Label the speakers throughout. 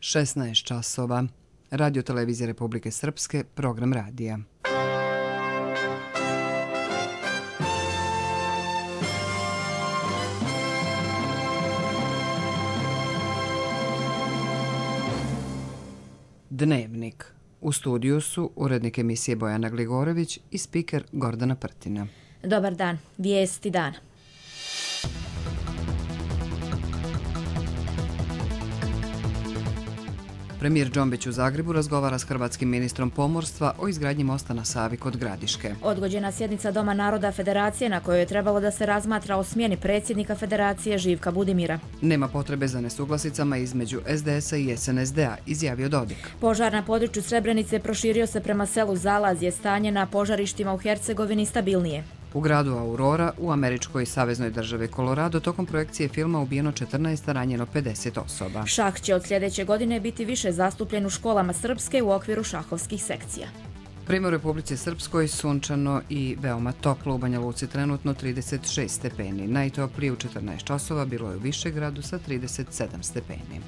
Speaker 1: 16 časova. Radio Televizije Republike Srpske, program radija. Dnevnik. U studiju su urednik emisije Bojana Gligorović i spiker Gordana Prtina.
Speaker 2: Dobar dan. Vijesti dana.
Speaker 1: Premijer Džombić u Zagrebu razgovara s hrvatskim ministrom pomorstva o izgradnji mosta na Savi kod Gradiške.
Speaker 2: Odgođena sjednica Doma naroda Federacije na kojoj je trebalo da se razmatra o smjeni predsjednika Federacije Živka Budimira.
Speaker 1: Nema potrebe za nesuglasicama između SDS-a i SNSD-a, izjavio Dodik.
Speaker 2: Požar na području Srebrenice proširio se prema selu Zalazje, stanje na požarištima u Hercegovini stabilnije.
Speaker 1: U gradu Aurora, u američkoj saveznoj državi Colorado, tokom projekcije filma ubijeno 14, a ranjeno 50 osoba.
Speaker 2: Šah će od sljedeće godine biti više zastupljen u školama srpske u okviru šahovskih sekcija.
Speaker 1: Prema u Republici Srpskoj sunčano i veoma toplo, u Banja Luci trenutno 36 stepeni. Najtoplije u 14 časova bilo je u Višegradu sa 37 stepeni.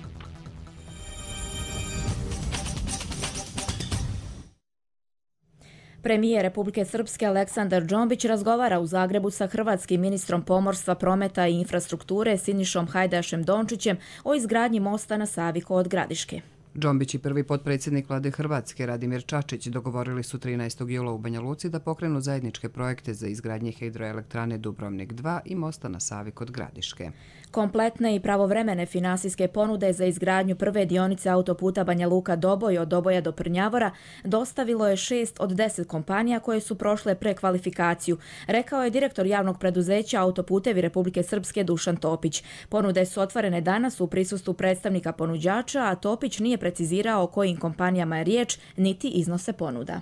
Speaker 2: Premijer Republike Srpske Aleksandar Džombić razgovara u Zagrebu sa hrvatskim ministrom pomorstva, prometa i infrastrukture Sinišom Hajdašem Dončićem o izgradnji mosta na Savi kod Gradiške.
Speaker 1: Džombić i prvi potpredsjednik vlade Hrvatske Radimir Čačić dogovorili su 13. jula u Banja Luci da pokrenu zajedničke projekte za izgradnje hidroelektrane Dubrovnik 2 i mosta na Savi kod Gradiške.
Speaker 2: Kompletne i pravovremene finansijske ponude za izgradnju prve dionice autoputa Banja Luka-Doboj od Doboja do Prnjavora dostavilo je 6 od 10 kompanija koje su prošle prekvalifikaciju, rekao je direktor javnog preduzeća Autoputevi Republike Srpske Dušan Topić. Ponude su otvorene danas u prisustvu predstavnika ponuđača, a Topić nije precizirao o kojim kompanijama je riječ, niti iznose ponuda.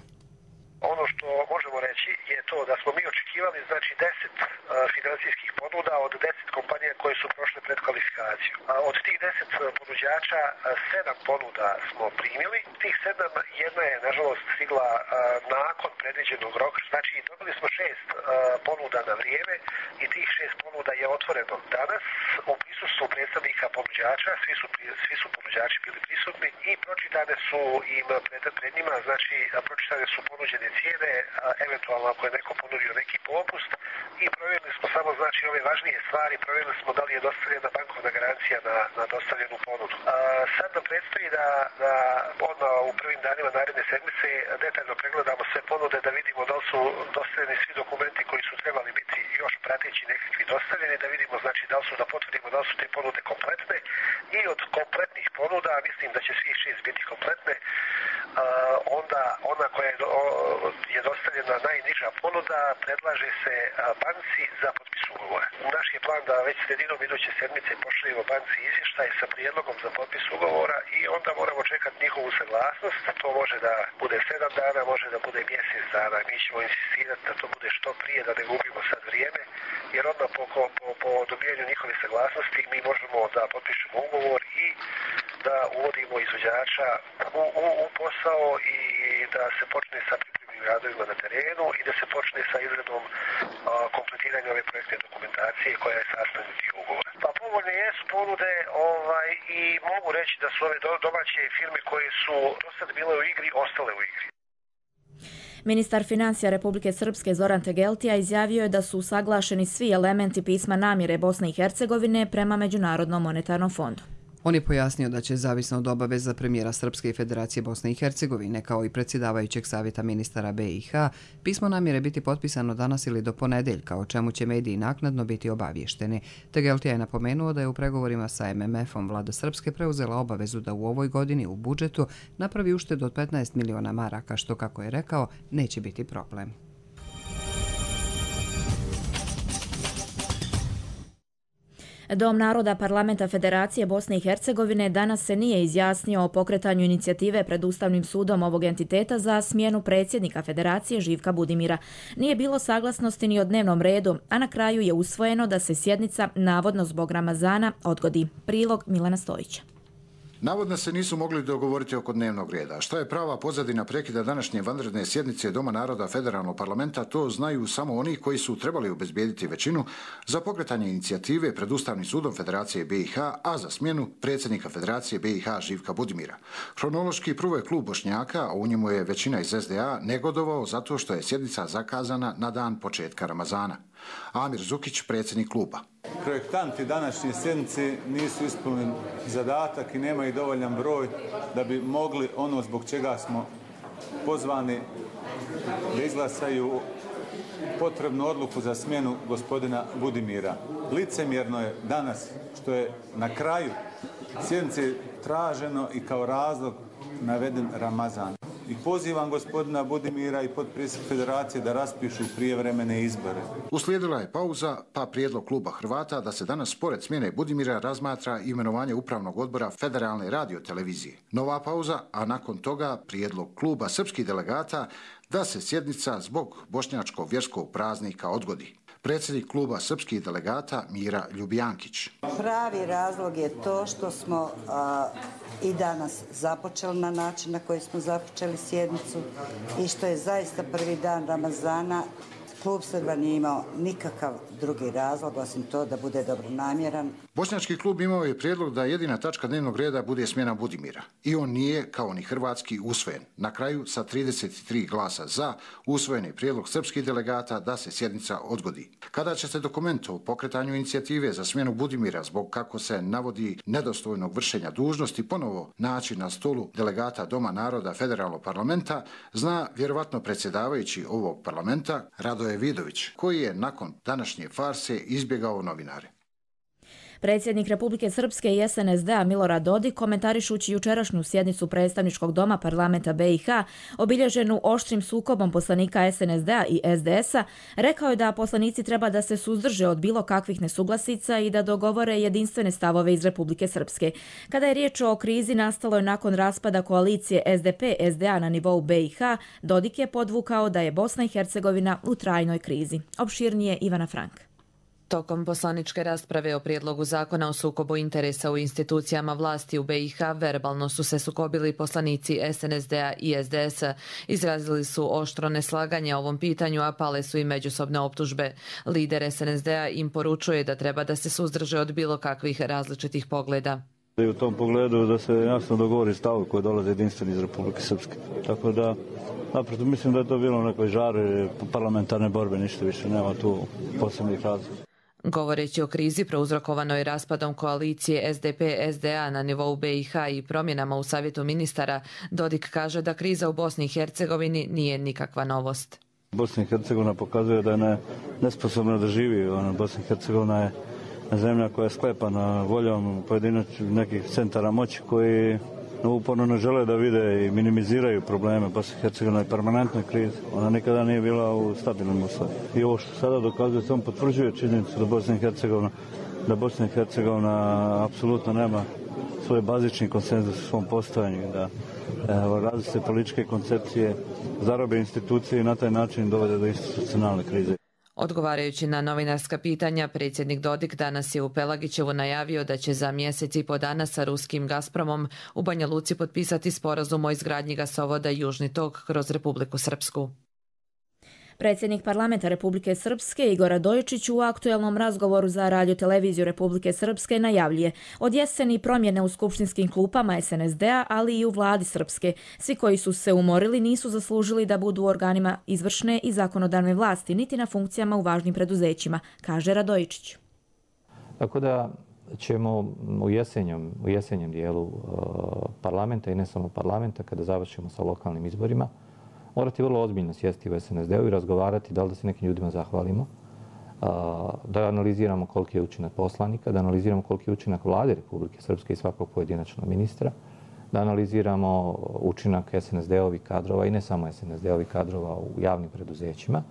Speaker 3: Ono što možemo reći je to da smo mi očekivali 10 financijskih ponuda od 10 kompanija koje su prošle predkvalifikaciju. Od tih 10 ponuđača 7 ponuda smo primili. Tih 7, jedna je nažalost stigla nakon predviđenog roka. Znači dobili smo 6 ponuda na vrijeme i tih 6 ponuda je otvoreno danas u prisustvu predstavnika ponuđača. Svi su ponuđači bili prisutni i pročitane su im pred njima, znači pročitane su ponuđene cijene, eventualno ako je neko ponudio neki popust i provjerili smo samo znači ove važnije stvari, provjerili smo da li je dostavljena bankovna garancija na dostavljenu ponudu. Sad nam predstoji da odmah u prvim danima naredne sedmice detaljno pregledamo sve ponude da vidimo da li su dostavljeni svi dokumenti koji su trebali biti još prateći nekakvi dostavljeni, da vidimo znači da li su, da potvrdimo da li su te ponude kompletne i od kompletnih ponuda, mislim da će svih 6 biti kompletne, onda ona koja je dostavljena najniža ponuda predlaže se banci za potpis ugovora. Naš je plan da već sredinom iduće sedmice pošaljemo banci izvještaj sa prijedlogom za potpis ugovora i onda moramo čekati njihovu saglasnost. To može da bude 7 dana, može da bude mjesec dana. Mi ćemo insistirati da to bude što prije, da ne gubimo sad vrijeme, jer odmah po dobijanju njihove saglasnosti mi možemo da potpišemo ugovor i da uvodimo izvođača u posao i da se počne sa pripremnim radovima na terenu i da se počne sa izradom kompletiranja ove projektne dokumentacije koja je sastavni dio ugovora. Pa povoljne jesu ponude i mogu reći da su ove domaće firme koje su do sad bile u igri, ostale u igri.
Speaker 2: Ministar financija Republike Srpske Zoran Tegeltija izjavio je da su usaglašeni svi elementi pisma namjere Bosne i Hercegovine prema Međunarodnom monetarnom fondu.
Speaker 1: On je pojasnio da će, zavisno od obaveza premijera Srpske i Federacije Bosne i Hercegovine, kao i predsjedavajućeg savjeta ministara BiH, pismo namjere biti potpisano danas ili do ponedeljka, o čemu će mediji naknadno biti obavješteni. Tegeltija je napomenuo da je u pregovorima sa MMF-om vlada Srpske preuzela obavezu da u ovoj godini u budžetu napravi uštedu od 15 miliona maraka, što, kako je rekao, neće biti problem.
Speaker 2: Dom naroda Parlamenta Federacije Bosne i Hercegovine danas se nije izjasnio o pokretanju inicijative pred Ustavnim sudom ovog entiteta za smjenu predsjednika Federacije Živka Budimira. Nije bilo saglasnosti ni o dnevnom redu, a na kraju je usvojeno da se sjednica, navodno zbog Ramazana, odgodi. Prilog Milana Stojića.
Speaker 4: Navodno se nisu mogli dogovoriti oko dnevnog reda. Šta je prava pozadina prekida današnje vanredne sjednice Doma naroda Federalnog parlamenta, to znaju samo oni koji su trebali obezbijediti većinu za pokretanje inicijative pred Ustavnim sudom Federacije BiH, a za smjenu predsjednika Federacije BiH Živka Budimira. Hronološki prvo je klub Bošnjaka, a u njemu je većina iz SDA, negodovao zato što je sjednica zakazana na dan početka Ramazana. Amir Zukić, predsjednik kluba.
Speaker 5: Projektanti današnje sjednice nisu ispunili zadatak i nemaju dovoljan broj da bi mogli ono zbog čega smo pozvani da izglasaju potrebnu odluku za smjenu gospodina Budimira. Licemjerno je danas što je na kraju sjednice traženo i kao razlog naveden Ramazan. I pozivam gospodina Budimira i potpredsjednika Federacije da raspišu prijevremene izbore.
Speaker 4: Uslijedila je pauza, pa prijedlog kluba Hrvata da se danas pored smjene Budimira razmatra imenovanje upravnog odbora Federalne radiotelevizije. Nova pauza, a nakon toga prijedlog kluba srpskih delegata da se sjednica zbog bošnjačkog vjerskog praznika odgodi. Predsjednik kluba srpskih delegata Mira Ljubijankić.
Speaker 6: Pravi razlog je to što smo i danas započeli na način na koji smo započeli sjednicu i što je zaista prvi dan Ramazana. Klub Srba nije imao nikakav drugi razlog osim to da bude dobronamjeran.
Speaker 4: Bošnjački klub imao je prijedlog da jedina tačka dnevnog reda bude smjena Budimira. I on nije, kao ni hrvatski, usvojen. Na kraju, sa 33 glasa za, usvojen je prijedlog srpskih delegata da se sjednica odgodi. Kada će se dokument o pokretanju inicijative za smjenu Budimira zbog, kako se navodi, nedostojnog vršenja dužnosti ponovo naći na stolu delegata Doma naroda Federalnog parlamenta, zna vjerovatno predsjedavajući ovog parlamenta Radoje Vidović, koji je nakon današnje farse izbjegao novinare.
Speaker 2: Predsjednik Republike Srpske i SNSD-a Milorad Dodik, komentarišući jučerašnju sjednicu predstavničkog doma parlamenta BiH, obilježenu oštrim sukobom poslanika SNSD-a i SDS-a, rekao je da poslanici treba da se suzdrže od bilo kakvih nesuglasica i da dogovore jedinstvene stavove iz Republike Srpske. Kada je riječ o krizi nastaloj nakon raspada koalicije SDP-SDA na nivou BiH, Dodik je podvukao da je Bosna i Hercegovina u trajnoj krizi. Opširnije Ivana Frank.
Speaker 7: Tokom poslaničke rasprave o prijedlogu zakona o sukobu interesa u institucijama vlasti u BiH verbalno su se sukobili poslanici SNSD-a i SDS-a. Izrazili su oštro neslaganje o ovom pitanju, a pale su i međusobne optužbe. Lider SNSD-a im poručuje da treba da se suzdrže od bilo kakvih različitih pogleda.
Speaker 8: I u tom pogledu da se jasno dogovori stav koji dolaze jedinstveni iz Republike Srpske. Tako da, naprosto mislim da je to bilo u nekoj žari parlamentarne borbe, ništa više, nema tu posebnih razloga.
Speaker 7: Govoreći o krizi prouzrokovanoj raspadom koalicije SDP-SDA na nivou BiH i promjenama u Savjetu ministara, Dodik kaže da kriza u Bosni i Hercegovini nije nikakva novost.
Speaker 8: Bosna i Hercegovina pokazuje da je nesposobna da živi. Bosna i Hercegovina je zemlja koja je sklepana voljom pojedinačnih nekih centara moći koji uporno ne žele da vide i minimiziraju probleme. Bosna i Hercegovina je permanentna kriza. Ona nikada nije bila u stabilnom uslovu. I ovo što sada dokazuje, samo potvrđuje činjenicu da Bosna i Hercegovina apsolutno nema svoj bazični konsenzus u svom postojanju, da različite političke koncepcije zarobe institucije i na taj način dovede do institucionalne krize.
Speaker 7: Odgovarajući na novinarska pitanja, predsjednik Dodik danas je u Pelagićevu najavio da će za mjesec i po dana sa ruskim Gazpromom u Banja Luci potpisati sporazum o izgradnji gasovoda Južni tok kroz Republiku Srpsku.
Speaker 2: Predsjednik parlamenta Republike Srpske Igor Radojičić u aktuelnom razgovoru za radioteleviziju Republike Srpske najavljuje od jeseni promjene u skupštinskim klupama SNSD-a, ali i u vladi Srpske. Svi koji su se umorili nisu zaslužili da budu u organima izvršne i zakonodavne vlasti, niti na funkcijama u važnim preduzećima, kaže Radojičić.
Speaker 9: Tako da ćemo u jesenjem dijelu parlamenta i ne samo parlamenta, kada završimo sa lokalnim izborima, morati vrlo ozbiljno sjesti u SNSD-u i razgovarati da li da se nekim ljudima zahvalimo, da analiziramo koliki je učinak poslanika, da analiziramo koliki je učinak vlade Republike Srpske i svakog pojedinačnog ministra, da analiziramo učinak SNSD-ovih kadrova i ne samo SNSD-ovih kadrova u javnim preduzećima.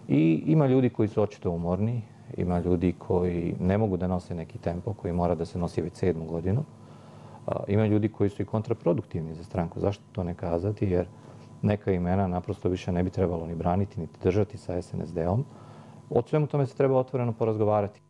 Speaker 9: I ima ljudi koji su očito umorni, ima ljudi koji ne mogu da nose neki tempo, koji mora da se nosi već 7. godinu. Ima ljudi koji su i kontraproduktivni za stranku. Zašto to ne kazati? Jer neka imena naprosto više ne bi trebalo ni braniti, niti držati sa SNSD-om. O svemu tome se treba otvoreno porazgovarati.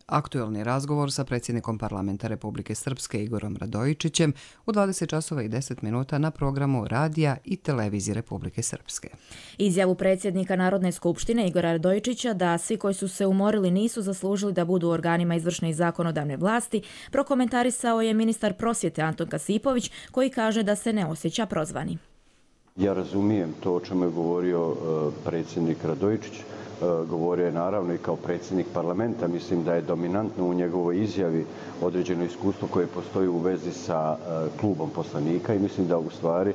Speaker 1: Aktuelni razgovor sa predsjednikom parlamenta Republike Srpske Igorom Radojičićem u 20 časova i 10 minuta na programu radija i televizije Republike Srpske.
Speaker 2: Izjavu predsjednika Narodne skupštine Igora Radojičića da svi koji su se umorili nisu zaslužili da budu u organima izvršne i zakonodavne vlasti prokomentarisao je ministar prosvjete Anton Kasipović, koji kaže da se ne osjeća prozvani.
Speaker 10: Ja razumijem to o čemu je govorio predsjednik Radojičić. Govorio je naravno i kao predsjednik parlamenta. Mislim da je dominantno u njegovoj izjavi određeno iskustvo koje postoji u vezi sa klubom poslanika i mislim da u stvari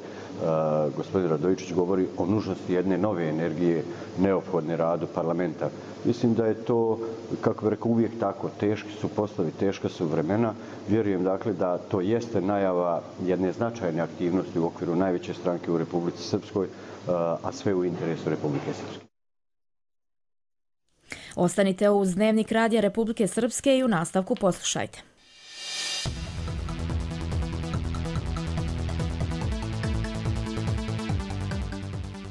Speaker 10: gospodin Radojičić govori o nužnosti jedne nove energije neophodne radu parlamenta. Mislim da je to, kako bih rekao, uvijek tako. Teški su poslovi, teška su vremena. Vjerujem dakle da to jeste najava jedne značajne aktivnosti u okviru najveće stranke u Republici Srpskoj, a sve u interesu Republike Srpske.
Speaker 2: Ostanite uz Dnevnik radija Republike Srpske i u nastavku poslušajte.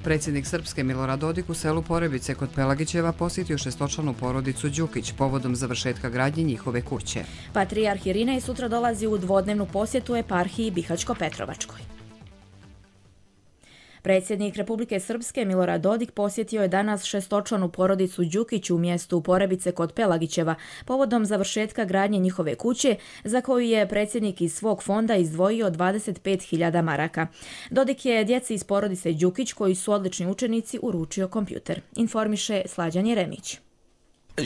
Speaker 1: Predsjednik Srpske Milorad Dodik u selu Porebice kod Pelagićeva posjetio šestočlanu porodicu Đukić povodom završetka gradnje njihove kuće.
Speaker 2: Patrijarh Irinej sutra dolazi u dvodnevnu posjetu eparhiji Bihaćko-Petrovačkoj. Predsjednik Republike Srpske Milorad Dodik posjetio je danas šestočlanu porodicu Đukić u mjestu Porebice kod Pelagićeva povodom završetka gradnje njihove kuće, za koju je predsjednik iz svog fonda izdvojio 25.000 maraka. Dodik je djeci iz porodice Đukić, koji su odlični učenici, uručio kompjuter. Informiše Slađan Jeremić.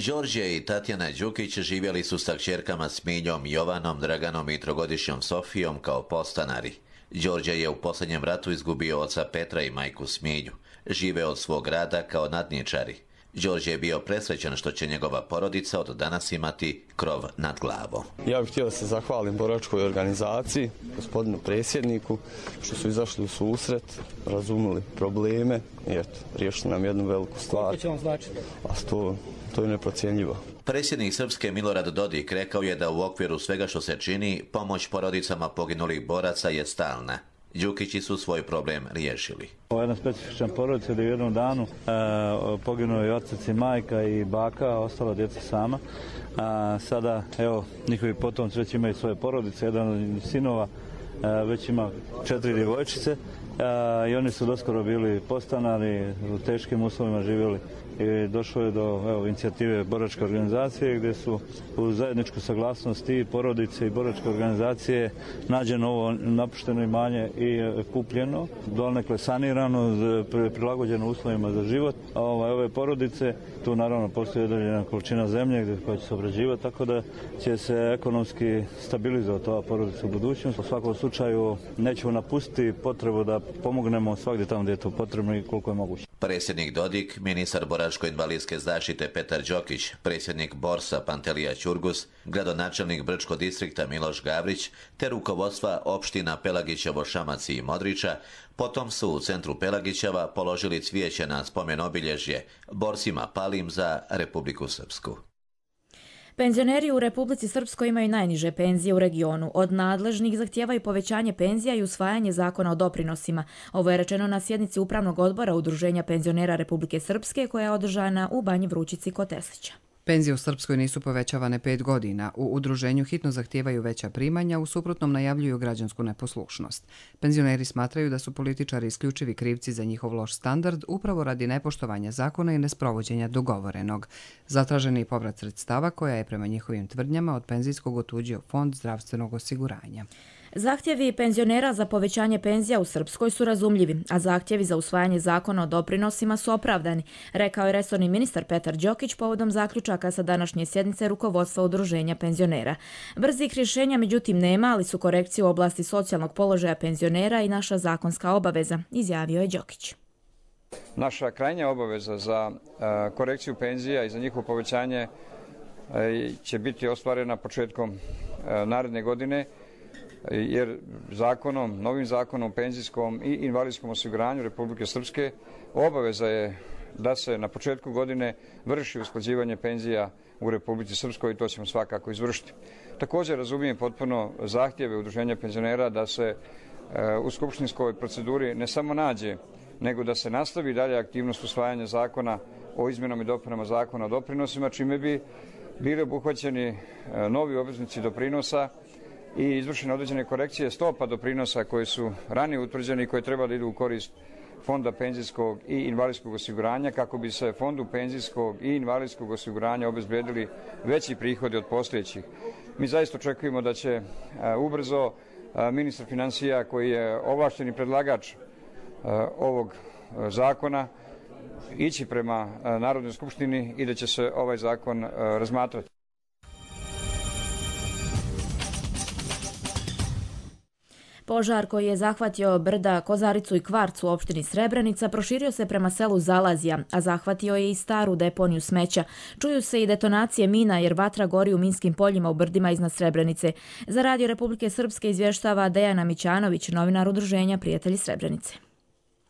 Speaker 11: Đorđe i Tatjana Đukić živjeli su sa kćerkama Smiljom, Jovanom, Draganom i trogodišnjom Sofijom kao podstanari. Đorđe je u posljednjem ratu izgubio oca Petra i majku Smilju. Žive od svog rada kao nadničari. Đorđe je bio presrećan što će njegova porodica od danas imati krov nad glavom.
Speaker 12: Ja bih htio da se zahvalim boračkoj organizaciji, gospodinu predsjedniku, što su izašli u susret, razumili probleme i eto, riješili nam jednu veliku stvar.
Speaker 13: Koliko će vam značiti?
Speaker 12: A to je neprocjenjivo.
Speaker 11: Predsjednik Srpske Milorad Dodik rekao je da u okviru svega što se čini, pomoć porodicama poginulih boraca je stalna. Đukići su svoj problem riješili.
Speaker 8: Ovo je jedna specifična porodica da u jednom danu poginuo je otac i majka i baka, ostala djeca sama. Sada, evo, njihovi potomci već imaju svoje porodice, jedan od sinova već ima 4 djevojčice i oni su doskoro bili podstanari, u teškim uslovima živjeli. I došlo je do inicijative boračke organizacije gdje su u zajedničku saglasnost i porodice i boračke organizacije nađeno ovo napušteno imanje i kupljeno, donekle sanirano, prilagođeno uslovima za život ove porodice. Tu naravno postoji određena količina zemlje koja će se obrađivati, tako da će se ekonomski stabilizovati ova porodica u budućnosti. U svakom slučaju nećemo napustiti potrebu da pomognemo svakdje tamo gdje je to potrebno i koliko je moguće.
Speaker 11: Predsjednik Dodik, ministar boračko-invalidske zaštite Petar Đokić, predsjednik Borsa Pantelija Ćurgus, gradonačelnik Brčko distrikta Miloš Gavrić, te rukovodstva opština Pelagićevo, Šamac i Modriča, potom su u centru Pelagićeva položili cvijeće na spomen obilježje borsima palim za Republiku Srpsku.
Speaker 2: Penzioneri u Republici Srpskoj imaju najniže penzije u regionu. Od nadležnih zahtijevaju povećanje penzija i usvajanje zakona o doprinosima. Ovo je rečeno na sjednici Upravnog odbora Udruženja penzionera Republike Srpske, koja je održana u Banji Vrućici kod Teslića.
Speaker 1: Penzije u Srpskoj nisu povećavane 5 godina. U udruženju hitno zahtijevaju veća primanja, u suprotnom najavljuju građansku neposlušnost. Penzioneri smatraju da su političari isključivi krivci za njihov loš standard upravo radi nepoštovanja zakona i nesprovođenja dogovorenog. Zatraženi povrat sredstava koja je prema njihovim tvrdnjama od penzijskog otuđio Fond zdravstvenog osiguranja.
Speaker 2: Zahtjevi penzionera za povećanje penzija u Srpskoj su razumljivi, a zahtjevi za usvajanje zakona o doprinosima su opravdani, rekao je resorni ministar Petar Đokić povodom zaključaka sa današnje sjednice rukovodstva Udruženja penzionera. Brzih rješenja međutim nema, ali su korekcije u oblasti socijalnog položaja penzionera i naša zakonska obaveza, izjavio je Đokić.
Speaker 13: Naša krajnja obaveza za korekciju penzija i za njihovo povećanje će biti ostvarena početkom naredne godine, jer novim zakonom o penzijskom i invalidskom osiguranju Republike Srpske obaveza je da se na početku godine vrši usklađivanje penzija u Republici Srpskoj i to ćemo svakako izvršiti. Također razumijem potpuno zahtjeve Udruženja penzionera da se u skupštinskoj proceduri ne samo nađe, nego da se nastavi dalje aktivnost usvajanja zakona o izmjenama i dopunama zakona o doprinosima, čime bi bili obuhvaćeni novi obveznici doprinosa i izvršene određene korekcije stopa doprinosa koje su ranije utvrđene i koje treba da idu u korist Fonda penzijskog i invalidskog osiguranja kako bi se Fondu penzijskog i invalidskog osiguranja obezbedili veći prihodi od postojećih. Mi zaista očekujemo da će ubrzo ministar finansija, koji je ovlašćeni predlagač ovog zakona, ići prema Narodnoj skupštini i da će se ovaj zakon razmatrati.
Speaker 2: Požar koji je zahvatio brda Kozaricu i Kvarc u opštini Srebrenica proširio se prema selu Zalazija, a zahvatio je i staru deponiju smeća. Čuju se i detonacije mina jer vatra gori u minskim poljima u brdima iznad Srebrenice. Za Radio Republike Srpske izvještava Dejana Mićanović, novinar udruženja Prijatelji Srebrenice.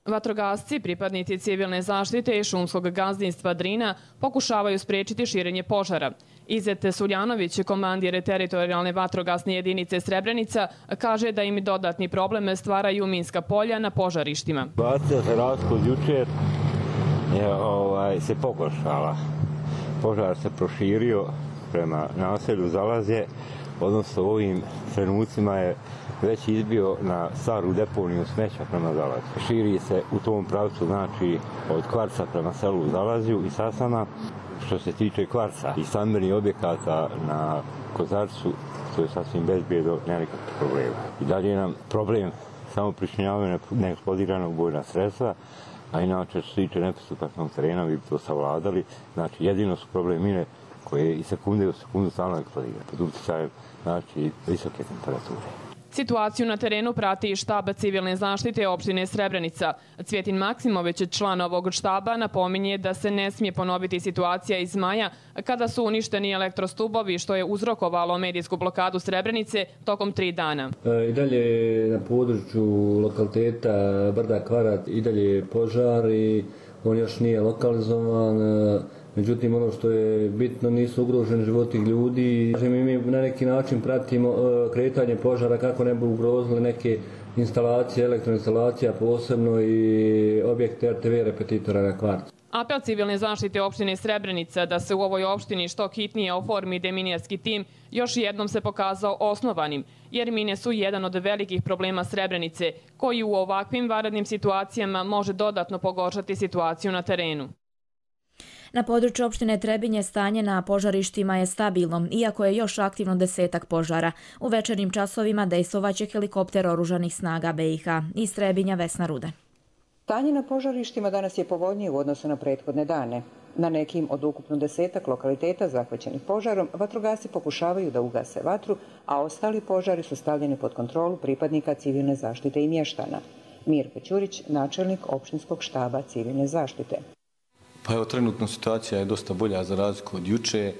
Speaker 14: Vatrogasci, pripadnici civilne zaštite i šumskog gazdinstva Drina pokušavaju spriječiti širenje požara. Izet Suljanović, komandir teritorijalne vatrogasne jedinice Srebrenica, kaže da im dodatni problem stvaraju minska polja na požarištima.
Speaker 15: Situacija za razliku od jučer se pogoršala. Požar se proširio prema naselju Zalazje, odnosno u ovim trenucima je već izbio na staru deponiju smeća prema Zalazju. Širi se u tom pravcu, znači od Kvarca prema selu Zalazju i Sasana. Što se tiče Kvarca i stambenih objekata na Kozarcu, to je sasvim bezbjedno, nema nikakvih problema. I dalje nam problem samo pričinjavaju neeksplodiranog bojna sredstva, a inače što se tiče nepristupačnog terena, vi bi to savladali. Znači jedino su problem mine koje i sekunde u sekundu stalno eksplodiraju pod utjecajem, znači visoke temperature.
Speaker 14: Situaciju na terenu prati i štab civilne zaštite opštine Srebrenica. Cvjetin Maksimović, član ovog štaba, napominje da se ne smije ponoviti situacija iz maja kada su uništeni elektrostubovi, što je uzrokovalo medijsku blokadu Srebrenice tokom 3 dana.
Speaker 16: I dalje na području lokaliteta Brda Kvarat i dalje požar i on još nije lokalizovan. Međutim, ono što je bitno, nisu ugroženi životi ljudi. Mi na neki način pratimo kretanje požara kako ne bi ugrozili neke instalacije, elektroinstalacija, posebno i objekte RTV repetitora na Kvarcu.
Speaker 14: Apel civilne zaštite opštine Srebrenica da se u ovoj opštini što hitnije oformi deminarski tim još jednom se pokazao osnovanim, jer mine su jedan od velikih problema Srebrenice, koji u ovakvim vanrednim situacijama može dodatno pogoršati situaciju na terenu.
Speaker 2: Na području opštine Trebinje stanje na požarištima je stabilno, iako je još aktivno 10-ak požara. U večernjim časovima dejstvovaće helikopter oružanih snaga BiH. Iz Trebinja Vesna Rude.
Speaker 17: Stanje na požarištima danas je povoljnije u odnosu na prethodne dane. Na nekim od ukupno 10-ak lokaliteta zahvaćenih požarom vatrogasci pokušavaju da ugase vatru, a ostali požari su stavljeni pod kontrolu pripadnika civilne zaštite i mještana. Mirko Ćurić, načelnik opštinskog štaba civilne zaštite.
Speaker 12: Pa evo, trenutno situacija je dosta bolja za razliku od juče.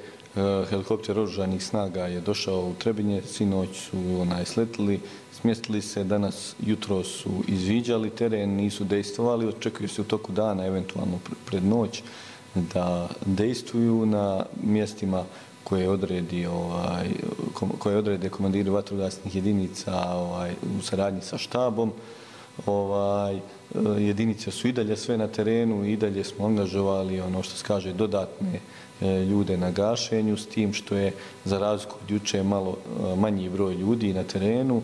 Speaker 12: Helikopter oružanih snaga je došao u Trebinje, sinoć su sletili, smjestili se, danas jutro su izviđali teren, nisu dejstvovali, očekuju se u toku dana, eventualno pred noć, da dejstvuju na mjestima koje odrede komandiri vatrogasnih jedinica u saradnji sa štabom. Jedinice su i dalje sve na terenu i dalje smo angažovali ono što se kaže dodatne ljude na gašenju, s tim što je za razliku od juče malo manji broj ljudi na terenu,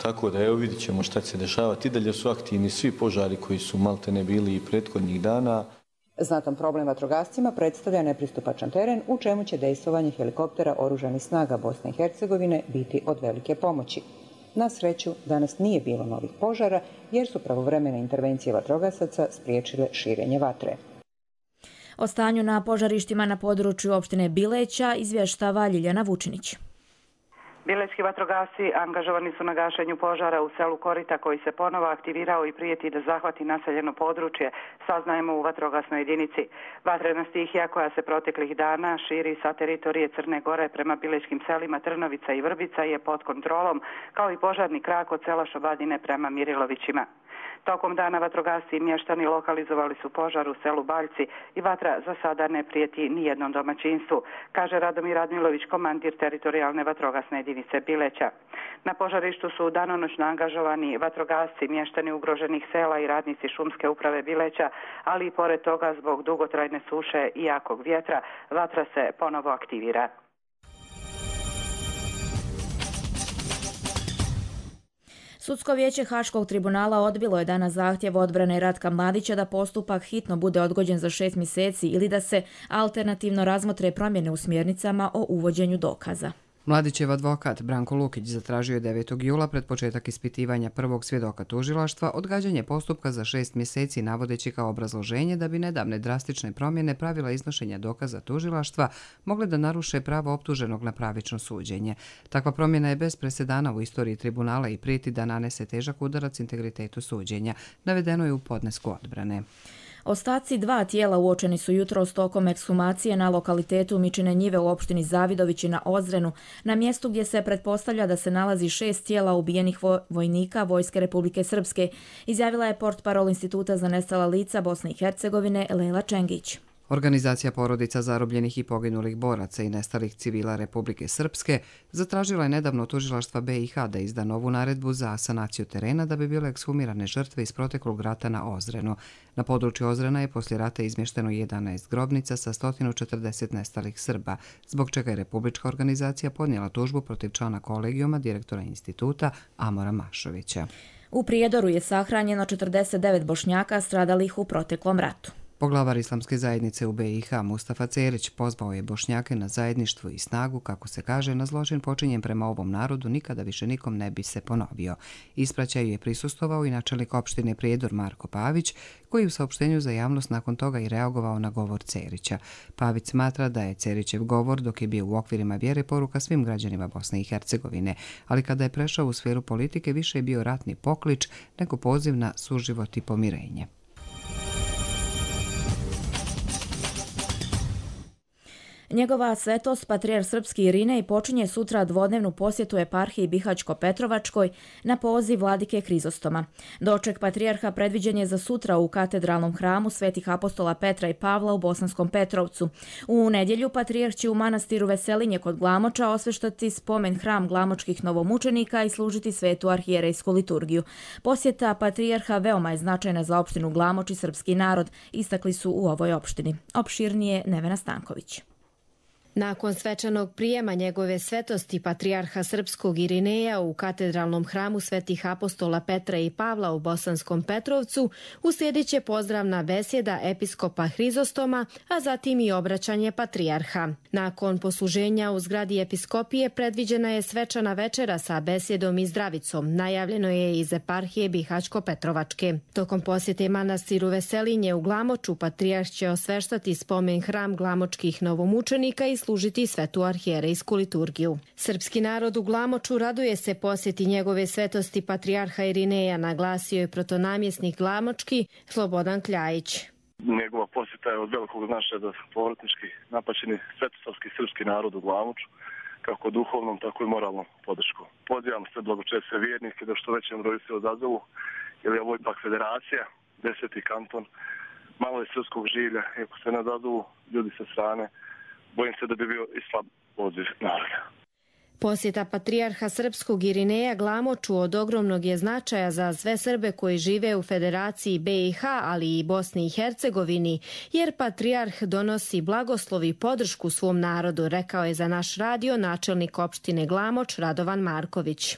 Speaker 12: tako da evo vidit ćemo šta će se dešavati. I dalje su aktivni svi požari koji su maltene bili i prethodnih dana.
Speaker 17: Znatan problem vatrogascima predstavlja nepristupačan teren, u čemu će dejstvovanje helikoptera oružanih snaga Bosne i Hercegovine biti od velike pomoći. Na sreću, danas nije bilo novih požara jer su pravovremene intervencije vatrogasaca spriječile širenje vatre.
Speaker 2: O stanju na požarištima na području opštine Bileća izvještava Ljiljana Vučinić.
Speaker 18: Bilećki vatrogasci angažovani su na gašenju požara u selu Korita koji se ponovo aktivirao i prijeti da zahvati naseljeno područje, saznajemo u vatrogasnoj jedinici. Vatrena stihija koja se proteklih dana širi sa teritorije Crne Gore prema bilećkim selima Trnovica i Vrbica je pod kontrolom, kao i požarni krak od sela Šobadine prema Mirilovićima. Tokom dana vatrogasci i mještani lokalizovali su požar u selu Baljci i vatra za sada ne prijeti nijednom domaćinstvu, kaže Radomir Radmilović, komandir teritorijalne vatrogasne jedinice Bileća. Na požarištu su danonoćno angažovani vatrogasci, mještani ugroženih sela i radnici šumske uprave Bileća, ali i pored toga zbog dugotrajne suše i jakog vjetra vatra se ponovo aktivira.
Speaker 2: Sudsko vijeće Haškog tribunala odbilo je danas zahtjev odbrane Ratka Mladića da postupak hitno bude odgođen za 6 mjeseci ili da se alternativno razmotre promjene u smjernicama o uvođenju dokaza.
Speaker 1: Mladićev advokat Branko Lukić zatražio je 9. jula pred početak ispitivanja prvog svjedoka tužilaštva odgađanje postupka za 6 mjeseci navodeći kao obrazloženje da bi nedavne drastične promjene pravila iznošenja dokaza tužilaštva mogle da naruše pravo optuženog na pravično suđenje. Takva promjena je bez presedana u istoriji tribunala i prijeti da nanese težak udarac integritetu suđenja, navedeno je u podnesku odbrane.
Speaker 2: Ostaci 2 tijela uočeni su jutros tokom ekshumacije na lokalitetu Mičine njive u opštini Zavidovići na Ozrenu, na mjestu gdje se pretpostavlja da se nalazi 6 tijela ubijenih vojnika Vojske Republike Srpske, izjavila je portparol Instituta za nestala lica Bosne i Hercegovine Lejla Čengić.
Speaker 1: Organizacija porodica zarobljenih i poginulih boraca i nestalih civila Republike Srpske zatražila je nedavno tužilaštva BiH da izda novu naredbu za sanaciju terena da bi bile ekshumirane žrtve iz proteklog rata na Ozrenu. Na području Ozrena je poslije rata izmješteno 11 grobnica sa 140 nestalih Srba, zbog čega je Republička organizacija podnijela tužbu protiv člana kolegijuma direktora instituta Amora Mašovića.
Speaker 2: U Prijedoru je sahranjeno 49 Bošnjaka stradalih u proteklom ratu.
Speaker 1: Poglavar Islamske zajednice u BiH Mustafa Cerić pozvao je Bošnjake na zajedništvo i snagu, kako se kaže, na zločin počinjen prema ovom narodu nikada više nikom ne bi se ponovio. Ispraćaju je prisustvovao i načelnik opštine Prijedor Marko Pavić, koji u saopštenju za javnost nakon toga i reagovao na govor Cerića. Pavić smatra da je Cerićev govor, dok je bio u okvirima vjere, poruka svim građanima Bosne i Hercegovine, ali kada je prešao u sferu politike više je bio ratni poklič nego poziv na suživot i pomirenje.
Speaker 2: Njegova svetost, patrijarh srpski Irinej, počinje sutra dvodnevnu posjetu eparhiji Bihaćko-Petrovačkoj na poziv vladike Hrizostoma. Doček patrijarha predviđen je za sutra u katedralnom hramu Svetih apostola Petra i Pavla u Bosanskom Petrovcu. U nedjelju patrijarh će u manastiru Veselinje kod Glamoča osveštati spomen hram glamočkih novomučenika i služiti svetu arhijerejsku liturgiju. Posjeta patrijarha veoma je značajna za opštinu Glamoč i srpski narod, istakli su u ovoj opštini. Opširnije Nevena Stanković.
Speaker 19: Nakon svečanog prijema njegove svetosti patrijarha srpskog Irineja u katedralnom hramu Svetih apostola Petra i Pavla u Bosanskom Petrovcu uslijedit će pozdravna besjeda episkopa Hrizostoma, a zatim i obraćanje patrijarha. Nakon posluženja u zgradi episkopije predviđena je svečana večera sa besjedom i zdravicom, najavljeno je iz eparhije Bihaćko-Petrovačke. Tokom posjete manastiru Veselinje u Glamoču patrijarh će osveštati spomen hram glamočkih novomučenika i služiti svetu arhijerejsku liturgiju. Srpski narod u Glamoču raduje se posjeti njegove svetosti patrijarha Irineja, naglasio je protonamjesnik Glamočki Slobodan Kljajić.
Speaker 20: Njegova posjeta je od velikog značaja za povratnički napaćeni svetosavski srpski narod u Glamoču, kako duhovnom, tako i moralnom podrškom. Pozivam sve blagočesne vjernike da što većem broju se odazovu, jer je ovo ipak federacija, 10. kanton, malo je srpskog življa, i ako se ne odazovu ljudi sa strane, bojim se da bi bio i slab odziv naroda.
Speaker 19: Posjeta patrijarha srpskog Irineja Glamoču od ogromnog je značaja za sve Srbe koji žive u Federaciji BiH, ali i Bosni i Hercegovini, jer patrijarh donosi blagoslov i podršku svom narodu, rekao je za naš radio načelnik opštine Glamoč Radovan Marković.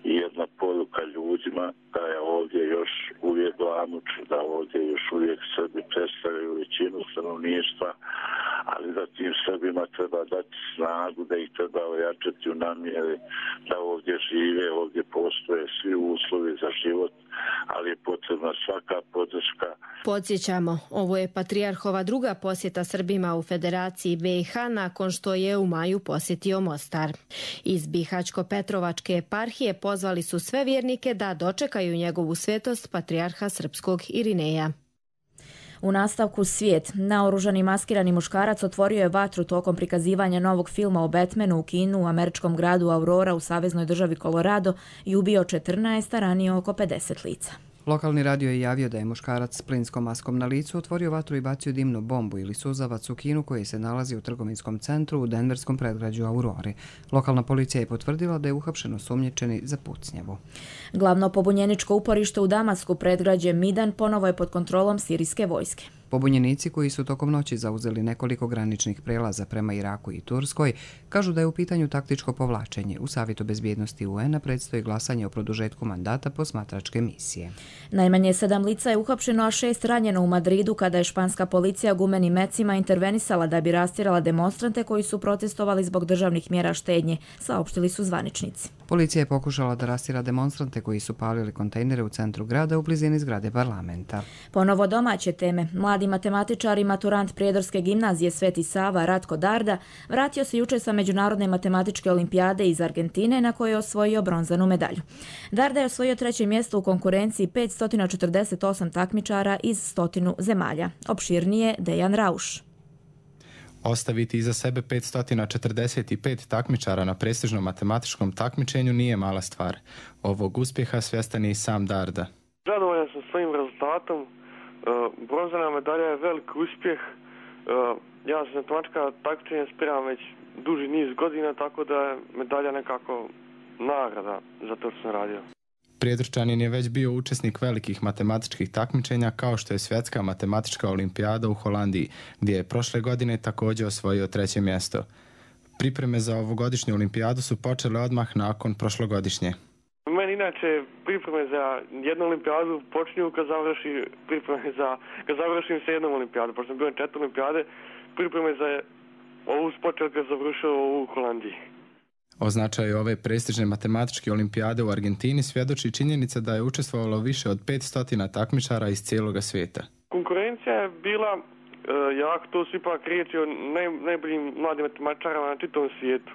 Speaker 21: Jedna poruka ljudima da je ovdje još uvijek Glamoč, da ovdje još uvijek Srbi predstavljaju većinu stanovništva, ali da tim Srbima treba dati snagu, da ih treba ojačati u namjeri da ovdje žive, ovdje postoje svi uslovi za život, ali je potrebna svaka podrška.
Speaker 19: Podsjećamo, ovo je patrijarhova druga posjeta Srbima u Federaciji BiH nakon što je u maju posjetio Mostar. Iz Bihaćko-Petrovačke eparhije pozvali su sve vjernike da dočekaju njegovu svetost patrijarha srpskog Irineja.
Speaker 2: U nastavku svijet. Naoružani maskirani muškarac otvorio je vatru tokom prikazivanja novog filma o Batmanu u kinu u američkom gradu Aurora u saveznoj državi Colorado i ubio 14, a ranio oko 50 lica.
Speaker 1: Lokalni radio je javio da je muškarac s plinskom maskom na licu otvorio vatru i bacio dimnu bombu ili suzavac u kinu koji se nalazi u trgovinskom centru u denverskom predgrađu Aurori. Lokalna policija je potvrdila da je uhapšen osumnjičeni za pucnjavu.
Speaker 2: Glavno pobunjeničko uporište u Damasku, predgrađe Midan, ponovo je pod kontrolom sirijske vojske.
Speaker 1: Pobunjenici koji su tokom noći zauzeli nekoliko graničnih prelaza prema Iraku i Turskoj kažu da je u pitanju taktičko povlačenje. U Savjetu bezbjednosti UN-a predstoji glasanje o produžetku mandata posmatračke misije.
Speaker 2: Najmanje 7 lica je uhapšeno, a 6 ranjeno u Madridu kada je španska policija gumenim mecima intervenisala da bi rastjerala demonstrante koji su protestovali zbog državnih mjera štednje, saopštili su zvaničnici.
Speaker 1: Policija je pokušala da rastjera demonstrante koji su palili kontejnere u centru grada u blizini zgrade parlamenta.
Speaker 2: Ponovo domaće teme. Mladi matematičar i maturant Prijedorske gimnazije Sveti Sava Ratko Darda vratio se jučer sa Međunarodne matematičke olimpijade iz Argentine na kojoj je osvojio bronzanu medalju. Darda je osvojio 3. mjesto u konkurenciji 548 takmičara iz 100 zemalja. Opširnije Dejan Rauš.
Speaker 3: Ostaviti iza sebe 545 takmičara na prestižnom matematičkom takmičenju nije mala stvar. Ovog uspjeha svjestan je i sam Darda.
Speaker 22: Zadovoljan sam svojim rezultatom. Bronzana medalja je velik uspjeh. Ja sam matematička takmičenja spiram već duži niz godina, tako da je medalja nekako nagrada za to što sam radio.
Speaker 3: Prijedorčanin je već bio učesnik velikih matematičkih takmičenja kao što je Svjetska matematička olimpijada u Holandiji, gdje je prošle godine također osvojio 3. mjesto. Pripreme za ovogodišnju olimpijadu su počele odmah nakon prošlogodišnje.
Speaker 22: Meni inače pripreme za jednu olimpijadu počinju kad završim se jednom olimpijadu. Pošto sam bio na 4 olimpijade, pripreme za ovu počeo kad završio u Holandiji.
Speaker 3: O značaju ove prestižne matematičke olimpijade u Argentini svjedoči činjenica da je učestvovalo više od 500 takmičara iz cijeloga svijeta.
Speaker 22: Konkurencija je bila jako, to su ipak riječi o najboljim mladim matematičarama na čitavom svijetu.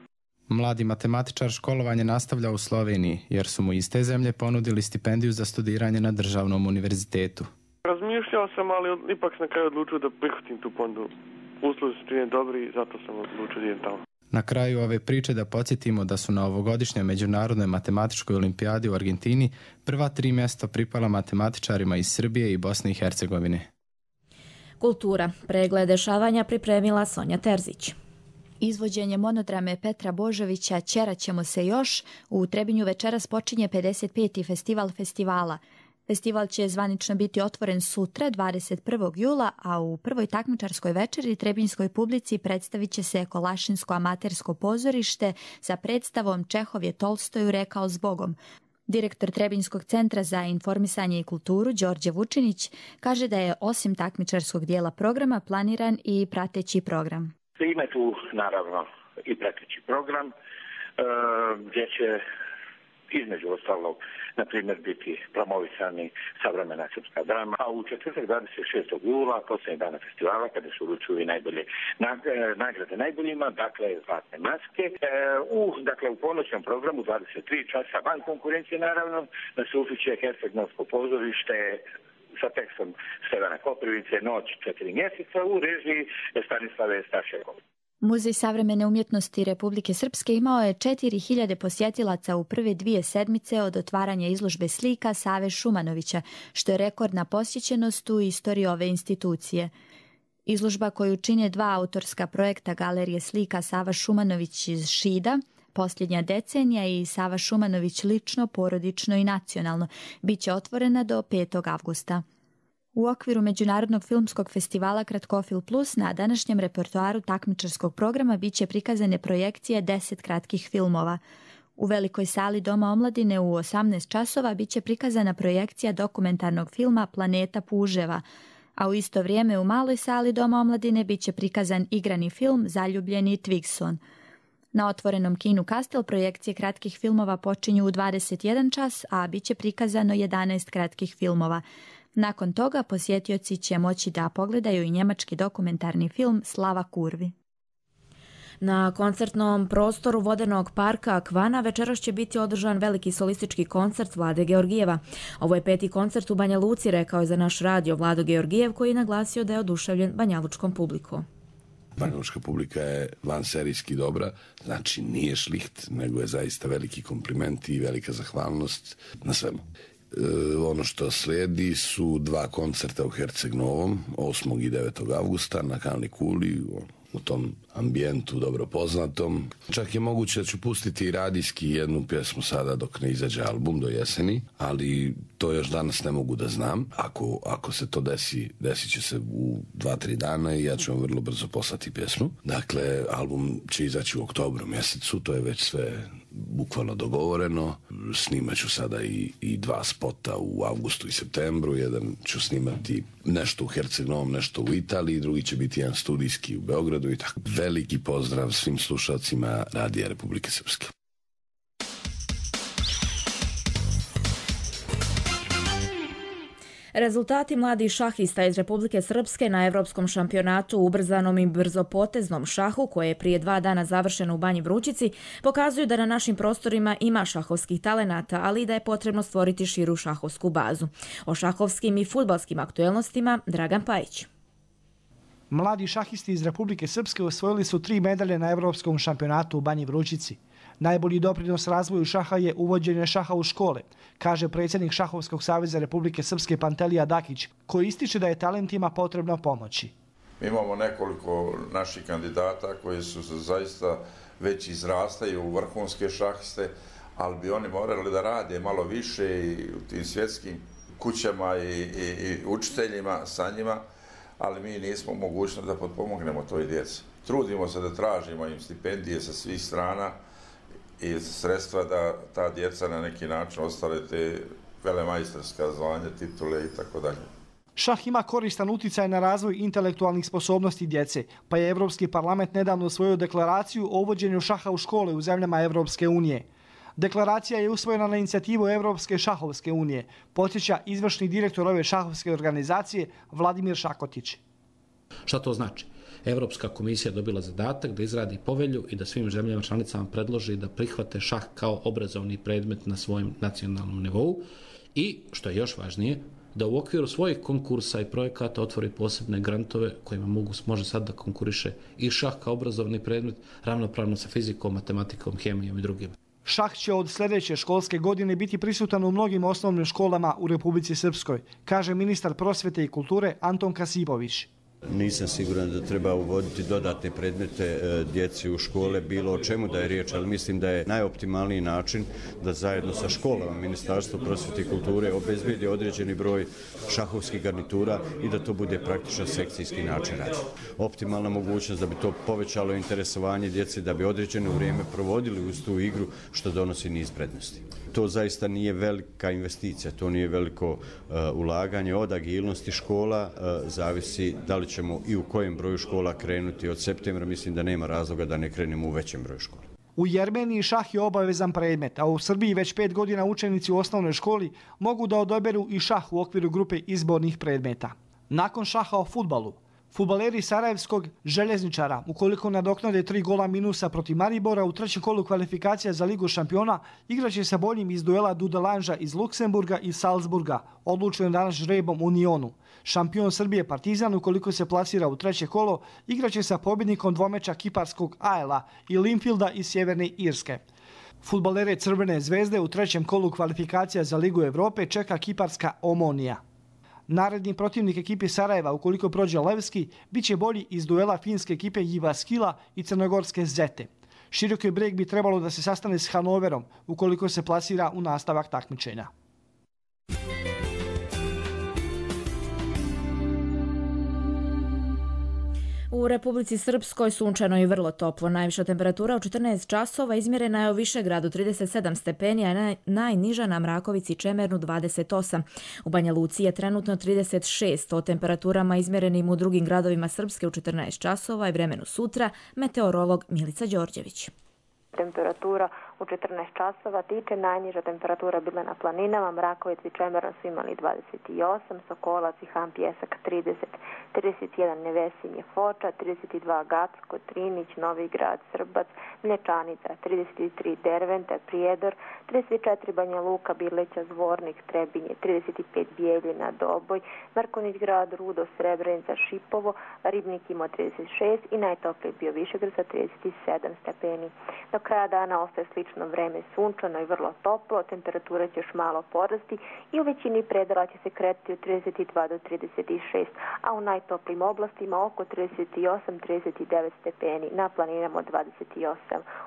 Speaker 3: Mladi matematičar školovanje nastavlja u Sloveniji, jer su mu iz te zemlje ponudili stipendiju za studiranje na državnom univerzitetu.
Speaker 22: Razmišljao sam, ali ipak sam na kraju odlučio da prihvatim tu ponudu. Uslovi su činjeni dobri i zato sam odlučio da idem tamo.
Speaker 3: Na kraju ove priče da podsjetimo da su na ovogodišnjoj Međunarodnoj matematičkoj olimpijadi u Argentini prva 3 mjesta pripala matematičarima iz Srbije i Bosne i Hercegovine.
Speaker 2: Kultura. Pregled dešavanja pripremila Sonja Terzić.
Speaker 23: Izvođenje monodrame Petra Božovića Ćerat ćemo se još u Trebinju večeras počinje 55. festival festivala. Festival će zvanično biti otvoren sutra, 21. jula, a u prvoj takmičarskoj večeri trebinjskoj publici predstavit će se Kolašinsko amatersko pozorište sa predstavom Čehov je Tolstoju rekao zbogom. Direktor Trebinjskog centra za informisanje i kulturu, Đorđe Vučinić, kaže da je osim takmičarskog dijela programa planiran i prateći program.
Speaker 21: Ima tu naravno i prateći program gdje će između ostalog, na primjer, biti promovisani savremena srpska drama, a u četvrtak 26. jula, posljednjeg dana festivala, kada se uručuju i najbolje nagrade najboljima, dakle, zlatne maske, u ponoćnom programu 23 časa van konkurencije, naravno, da se ufiće Herceg-Novsko pozorište sa tekstom Stevana Koprivice, Noć 4 mjeseca u režiji Stanislave Stašekov.
Speaker 23: Muzej savremene umjetnosti Republike Srpske imao je 4000 posjetilaca u prve 2 sedmice od otvaranja izložbe slika Save Šumanovića, što je rekordna posjećenost u istoriji ove institucije. Izložba koju čine 2 autorska projekta Galerije slika Sava Šumanović iz Šida, Posljednja decenija i Sava Šumanović lično, porodično i nacionalno, bit će otvorena do 5. avgusta. U okviru Međunarodnog filmskog festivala Kratkofil Plus na današnjem repertoaru takmičarskog programa bit će prikazane projekcije 10 kratkih filmova. U velikoj sali Doma omladine u 18 časova bit će prikazana projekcija dokumentarnog filma Planeta puževa, a u isto vrijeme u maloj sali Doma omladine bit će prikazan igrani film Zaljubljeni Twigson. Na otvorenom kinu Kastel projekcije kratkih filmova počinju u 21 čas, a bit će prikazano 11 kratkih filmova. Nakon toga posjetioci će moći da pogledaju i njemački dokumentarni film Slava kurvi.
Speaker 2: Na koncertnom prostoru vodenog parka Akvana večeras će biti održan veliki solistički koncert Vlade Georgijeva. Ovo je 5. koncert u Banja Luci, rekao je za naš radio Vlado Georgijev, koji je naglasio da je oduševljen banjalučkom publikom.
Speaker 24: Banjalučka publika je vanserijski dobra, znači nije šliht, nego je zaista veliki kompliment i velika zahvalnost na svemu. Ono što slijedi su 2 koncerta u Herceg Novom, 8. i 9. avgusta na Kalni kuli, u tom ambijentu dobro poznatom. Čak je moguće da ću pustiti radijski jednu pjesmu sada dok ne izađe album do jeseni, ali to još danas ne mogu da znam. Ako se to desi, desit će se u 2-3 dana i ja ću vam vrlo brzo poslati pjesmu. Dakle, album će izaći u oktobru mjesecu, to je već sve bukvalno dogovoreno. Snimat ću sada i 2 spota u avgustu i septembru. Jedan ću snimati nešto u Herceg Novom, nešto u Italiji, drugi će biti jedan studijski u Beogradu i tako. Veliki pozdrav svim slušalcima Radija Republike Srpske.
Speaker 2: Rezultati mladih šahista iz Republike Srpske na Evropskom šampionatu u ubrzanom i brzopoteznom šahu, koje je prije 2 dana završeno u Banji Vrućici, pokazuju da na našim prostorima ima šahovskih talenata, ali i da je potrebno stvoriti širu šahovsku bazu. O šahovskim i fudbalskim aktuelnostima Dragan Pajić.
Speaker 4: Mladi šahisti iz Republike Srpske osvojili su 3 medalje na Evropskom šampionatu u Banji Vrućici. Najbolji doprinos razvoju šaha je uvođenje šaha u škole, kaže predsjednik Šahovskog saveza Republike Srpske Pantelija Dakić, koji ističe da je talentima potrebno pomoći.
Speaker 5: Mi imamo nekoliko naših kandidata koji su zaista već izrastaju u vrhunske šahiste, ali bi oni morali da rade malo više i u tim svjetskim kućama i učiteljima sa njima, ali mi nismo mogućni da potpomognemo toj djeci. Trudimo se da tražimo im stipendije sa svih strana i sredstva da ta djeca na neki način ostale te velemajstorska zvanja, titule i tako dalje.
Speaker 4: Šah ima koristan uticaj na razvoj intelektualnih sposobnosti djece, pa je Evropski parlament nedavno usvojio deklaraciju o uvođenju šaha u škole u zemljama Evropske unije. Deklaracija je usvojena na inicijativu Evropske šahovske unije, podsjeća izvršni direktor ove šahovske organizacije Vladimir Šakotić.
Speaker 6: Šta to znači? Evropska komisija dobila zadatak da izradi povelju i da svim zemljama članicama predloži da prihvate šah kao obrazovni predmet na svojem nacionalnom nivou i, što je još važnije, da u okviru svojih konkursa i projekata otvori posebne grantove kojima može sad da konkuriše i šah kao obrazovni predmet ravnopravno sa fizikom, matematikom, hemijom i drugim.
Speaker 4: Šah će od sljedeće školske godine biti prisutan u mnogim osnovnim školama u Republici Srpskoj, kaže ministar prosvete i kulture Anton Kasipović.
Speaker 7: Nisam siguran da treba uvoditi dodatne predmete djeci u škole, bilo o čemu da je riječ, ali mislim da je najoptimalniji način da zajedno sa školama Ministarstvo prosvete i kulture obezbedi određeni broj šahovskih garnitura i da to bude praktičan sekcijski način rada. Optimalna mogućnost da bi to povećalo interesovanje djece, da bi određeno vrijeme provodili uz tu igru, što donosi niz prednosti. To zaista nije velika investicija, to nije veliko ulaganje. Od agilnosti škola zavisi da li ćemo i u kojem broju škola krenuti od septembra. Mislim da nema razloga da ne krenemo u većem broju škola.
Speaker 4: U Jermeniji šah je obavezan predmet, a u Srbiji već 5 godina učenici u osnovnoj školi mogu da odaberu i šah u okviru grupe izbornih predmeta. Nakon šaha o fudbalu, fudbaleri Sarajevskog Željezničara, ukoliko nadoknade 3 gola minusa protiv Maribora u trećem kolu kvalifikacija za Ligu šampiona, igraće sa boljim iz duela Dudelanža iz Luksemburga i Salzburga, odlučen danas žrebom u Nionu. Šampion Srbije Partizan, ukoliko se plasira u treće kolo, igraće sa pobjednikom dvomeča kiparskog AEL-a i Linfielda iz Sjeverne Irske. Fudbalere Crvene zvezde u trećem kolu kvalifikacija za Ligu Evrope čeka kiparska Omonija. Naredni protivnik ekipe Sarajeva, ukoliko prođe Levski, bit će bolji iz duela finske ekipe Jyväskylä i crnogorske Zete. Široki Breg bi trebalo da se sastane s Hanoverom, ukoliko se plasira u nastavak takmičenja.
Speaker 2: U Republici Srpskoj sunčano i vrlo toplo. Najviša temperatura u 14 časova izmjerena je u Višegradu 37 stepeni, a najniža na Mrakovici i Čemernu 28. U Banja Luci je trenutno 36, o temperaturama izmjerenim u drugim gradovima Srpske u 14 časova i vremenu sutra, meteorolog Milica Đorđević.
Speaker 25: Temperatura u 14 časova tiče, najniža temperatura bila na planinama, Mrakovic i Čemerno su imali 28, Sokolac i Han Pjesak 30, 31 Nevesinje Foča, 32 Gacko, Trinić, Novi Grad, Srbac, Mlječanica, 33 Derventa, Prijedor, 34 Banja Luka, Bileća, Zvornik, Trebinje, 35 Bijeljina, Doboj, Markonić Grad, Rudo, Srebrenica, Šipovo, Ribnik imao 36 i najtopliji bio Višegrad sa 37 stepeni. Do kraja dana ostaje slično slično vreme sunčano i vrlo toplo, temperatura će još malo porasti i u većini predela će se kretati od 32 do 36, a u najtoplijim oblastima oko 38-39 stepeni, na planinama od 28.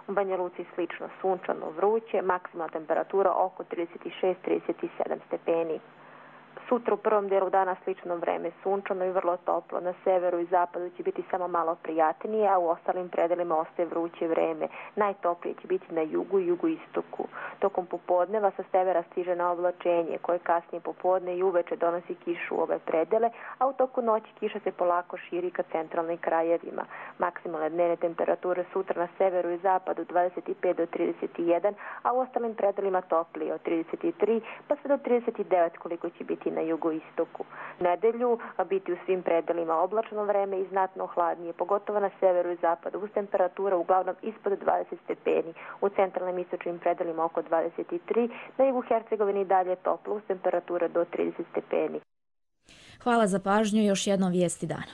Speaker 25: U Banja Luci slično sunčano, vruće, maksimalna temperatura oko 36-37 stepeni. Sutra u prvom dijelu dana slično vreme sunčano i vrlo toplo. Na severu i zapadu će biti samo malo prijatnije, a u ostalim predelima ostaje vruće vreme. Najtoplije će biti na jugu i jugoistoku. Tokom popodneva sa severa stiže na oblačenje, koje kasnije popodne i uveče donosi kišu u ove predele, a u toku noći kiša se polako širi ka centralnim krajevima. Maksimalne dnevne temperature sutra na severu i zapadu 25 do 31, a u ostalim predelima toplije od 33 pa sve do 39 koliko će biti na jugoistoku. Nedelju biti u svim predelima oblačno vreme i znatno hladnije, pogotovo na severu i zapadu, uz temperatura uglavnom ispod 20 stepeni, u centralnim istočnim predelima oko 23, na jugu Hercegovini dalje toplo, uz temperature do 30 stepeni.
Speaker 2: Hvala za pažnju i još jednom vijesti dana.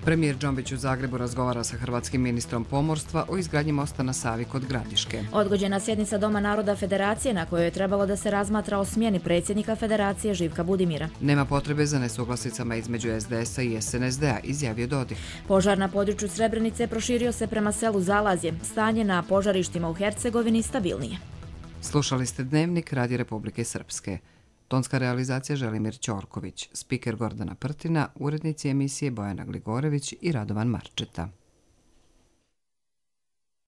Speaker 1: Premijer Džombić u Zagrebu razgovara sa hrvatskim ministrom pomorstva o izgradnji mosta na Savi kod Gradiške.
Speaker 2: Odgođena sjednica Doma naroda Federacije na kojoj je trebalo da se razmatra o smjeni predsjednika Federacije Živka Budimira.
Speaker 1: Nema potrebe za nesuglasicama između SDS-a i SNSD-a, izjavio Dodik.
Speaker 2: Požar na području Srebrenice proširio se prema selu Zalazje. Stanje na požarištima u Hercegovini stabilnije.
Speaker 1: Slušali ste Dnevnik Radija Republike Srpske. Tonska realizacija Želimir Ćorković, spiker Gordana Prtina, urednici emisije Bojana Gligorević i Radovan Marčeta.